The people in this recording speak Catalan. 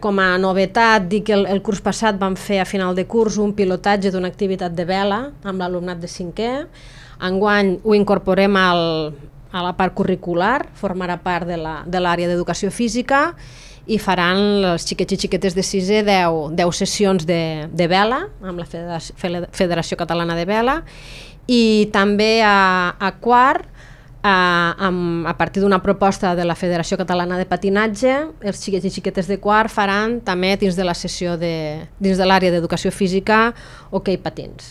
Com a novetat, dic que el curs passat vam fer a final de curs un pilotatge d'una activitat de vela amb l'alumnat de 5è. Enguany ho incorporem a la part curricular, formarà part de l'àrea d'educació física i faran els xiquets i xiquetes de 6è 10 sessions de vela amb la Federació Catalana de Vela, i també a quart, a partir d'una proposta de la Federació Catalana de Patinatge, els xiquets i xiquetes de quart faran també dins de la sessió dins de l'àrea d'educació física hoquei patins.